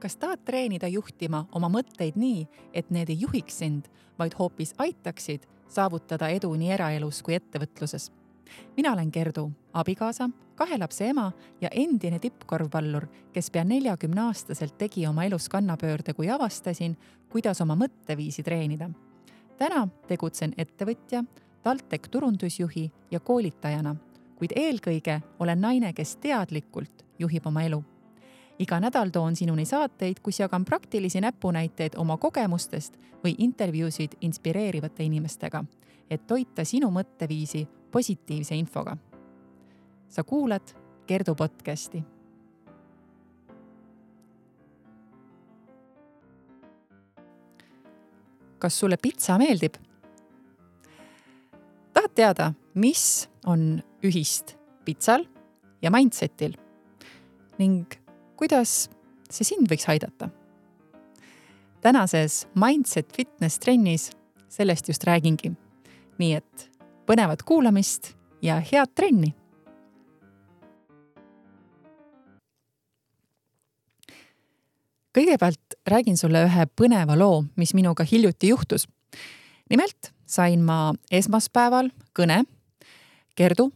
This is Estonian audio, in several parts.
Kas tahad treenida juhtima oma mõtteid nii, et need ei juhiks sind, vaid hoopis aitaksid saavutada edu nii eraelus kui ettevõtluses? Mina olen Gerdu, abikaasa, 2 lapse ema ja endine tippkorvpallur, kes pea 40-aastaselt tegi oma elus kannapöörde, kui avastasin, kuidas oma mõtteviisi treenida. Täna tegutsen ettevõtja, TalTech turundusjuhi ja koolitajana, kuid eelkõige olen naine, kes teadlikult juhib oma elu. Iga nädal toon sinuni saateid, kus jagan praktilisi näpunäiteid oma kogemustest või intervjuusid inspireerivate inimestega, et toita sinu mõtteviisi positiivse infoga. Sa kuulad Gerdu podcasti. Kas sulle pitsa meeldib? Tahad teada, mis on ühist pitsal ja mindsetil ning kuidas see sind võiks aidata? Tänases Mindset Fitness trennis sellest just räägingi. Nii et põnevat kuulamist ja head trenni! Kõigepealt räägin sulle ühe põneva loo, mis minuga hiljuti juhtus. Nimelt sain ma esmaspäeval kõne: Gerdu,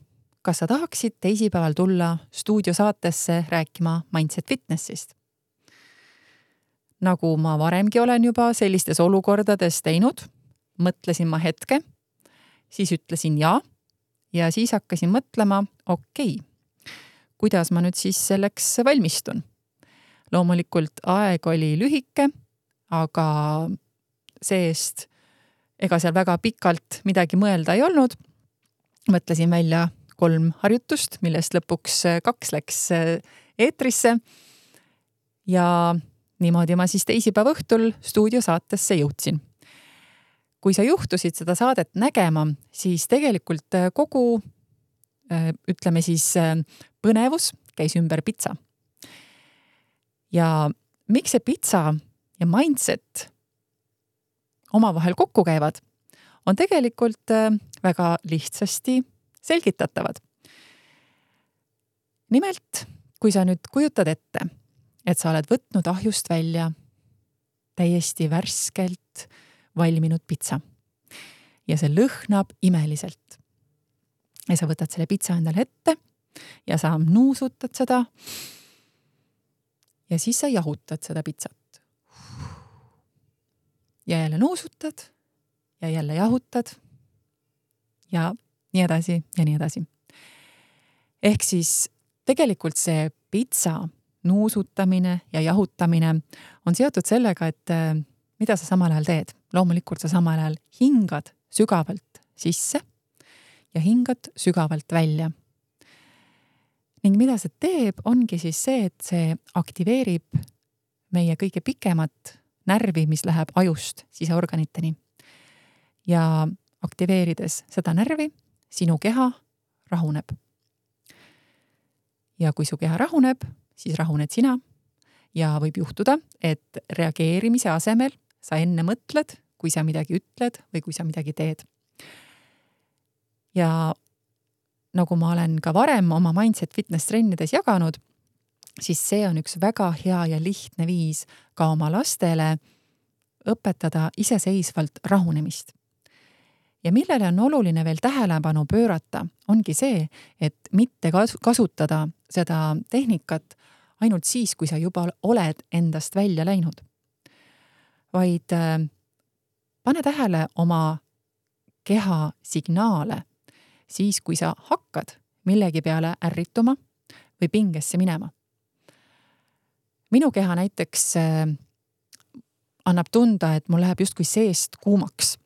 kas sa tahaksid teisipäeval tulla stuudiosaatesse rääkima Mindset Fitnessist? Nagu ma varemgi olen juba sellistes olukordades teinud, mõtlesin ma hetke, siis ütlesin ja siis hakkasin mõtlema, okei, kuidas ma nüüd siis selleks valmistun. Loomulikult aeg oli lühike, aga seest ega seal väga pikalt midagi mõelda ei olnud. Mõtlesin välja 3 harjutust, millest lõpuks 2 läks eetrisse ja niimoodi ma siis teisipäeva õhtul stuudiosaatesse jõudsin. Kui sa juhtusid seda saadet nägema, siis tegelikult kogu, ütleme siis, põnevus käis ümber pitsa. Ja miks see pitsa ja mindset omavahel kokku käivad, on tegelikult väga lihtsasti selgitatavad. Nimelt, kui sa nüüd kujutad ette, et sa oled võtnud ahjust välja täiesti värskelt valminud pitsa ja see lõhnab imeliselt. Ja sa võtad selle pitsa endale ette ja sa nuusutad seda ja siis sa jahutad seda pitsat. Ja jälle nuusutad ja jälle jahutad ja nii edasi ja nii edasi. Ehk siis tegelikult see pitsa nuusutamine ja jahutamine on seotud sellega, et mida sa samal ajal teed. Loomulikult sa samal ajal hingad sügavalt sisse ja hingad sügavalt välja. Ning mida see teeb, ongi siis see, et see aktiveerib meie kõige pikemat närvi, mis läheb ajust siseorganiteni. Ja aktiveerides seda närvi, sinu keha rahuneb. Ja kui su keha rahuneb, siis rahuned sina ja võib juhtuda, et reageerimise asemel sa enne mõtled, kui sa midagi ütled või kui sa midagi teed. Ja nagu ma olen ka varem oma Mindset Fitness trennides jaganud, siis see on üks väga hea ja lihtne viis ka oma lastele õpetada iseseisvalt rahunemist. Ja millele on oluline veel tähelepanu pöörata, ongi see, et mitte kasutada seda tehnikat ainult siis, kui sa juba oled endast välja läinud. Vaid pane tähele oma keha signaale siis, kui sa hakkad millegi peale ärrituma või pingesse minema. Minu keha näiteks annab tunda, et mul läheb justkui seest kuumaks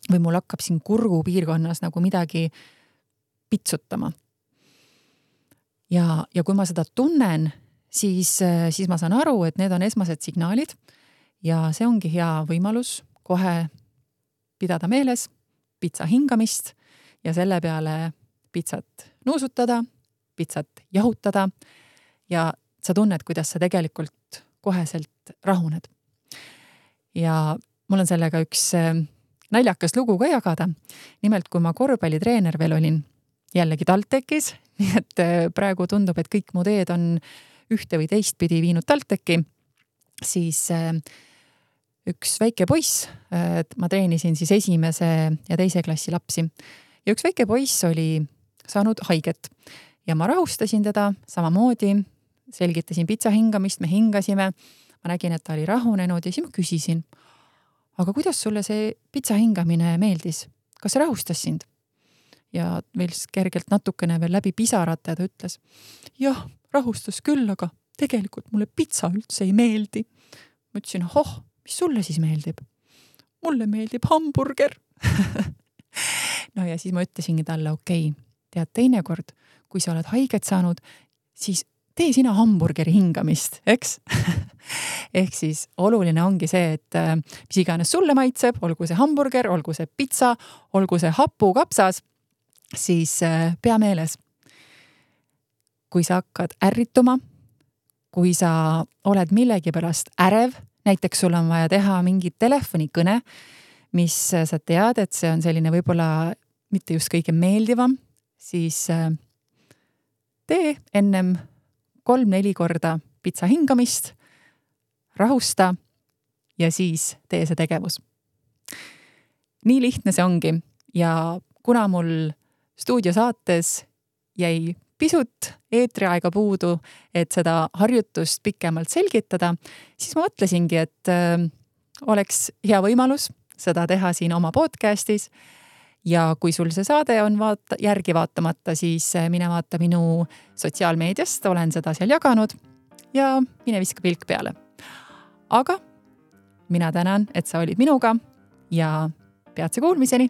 või mul hakkab siin kurgu piirkonnas nagu midagi pitsutama. Ja kui ma seda tunnen, siis ma saan aru, et need on esmased signaalid ja see ongi hea võimalus kohe pidada meeles pitsa hingamist ja selle peale pitsat nuusutada, pitsat jahutada ja sa tunned, kuidas sa tegelikult koheselt rahuned. Ja mul on sellega üks naljakas lugu ka jagada. Nimelt, kui ma korvpallitreener veel olin, jällegi TalTechis, nii et praegu tundub, et kõik mu teed on ühte või teistpidi viinud TalTechi, siis üks väike poiss, ma treenisin siis 1. ja 2. klassi lapsi ja üks väike poiss oli saanud haiget ja ma rahustasin teda samamoodi, selgitasin pitsa hingamist, me hingasime, ma nägin, et ta oli rahunenud ja siis ma küsisin, aga kuidas sulle see pitsa hingamine meeldis? Kas see rahustas sind? Ja veel kergelt natukene veel läbi pisarate ta ütles, jah, rahustas küll, aga tegelikult mulle pitsa üldse ei meeldi. Ma ütlesin, mis sulle siis meeldib? Mulle meeldib hamburger. No ja siis ma ütlesingi talle, okei, tead teinekord, kui sa oled haiget saanud, siis tee sina hamburgeri hingamist, eks? Ehk siis oluline ongi see, et mis iganes sulle maitseb, olgu see hamburger, olgu see pitsa, olgu see hapukapsas, siis pea meeles. Kui sa hakkad ärrituma, kui sa oled millegi pärast ärev, näiteks sul on vaja teha mingit telefonikõne, mis sa tead, et see on selline võib-olla mitte just kõige meeldivam, siis tee ennem 3-4 korda pitsa hingamist, rahusta ja siis tee see tegevus. Nii lihtne see ongi ja kuna mul stuudiosaates jäi pisut eetriaega puudu, et seda harjutust pikemalt selgitada, siis ma mõtlesingi, et oleks hea võimalus seda teha siin oma podcastis ja kui sul see saade on järgi vaatamata, siis mine vaata minu sotsiaalmeediast, olen seda seal jaganud ja mine viska pilk peale. Aga mina tänan, et sa olid minuga ja peatse kuulmiseni!